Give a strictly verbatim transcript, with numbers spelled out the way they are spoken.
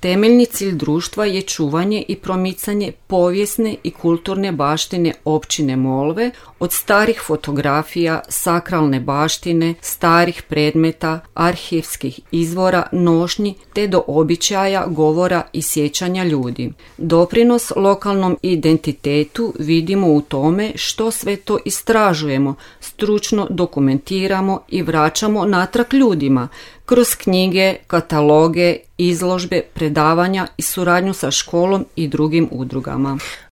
Temeljni cilj društva je čuvanje i promicanje povijesne i kulturne baštine općine Molve, od starih fotografija, sakralne baštine, starih predmeta, arhivskih izvora, nošnji, te do običaja, govora i sjećanja ljudi. Doprinos lokalnom identitetu vidimo u tome što sve to istražujemo, stručno dokumentiramo i vraćamo natrag ljudima, kroz knjige, kataloge, izložbe, predavanja i suradnju sa školom i drugim udrugama.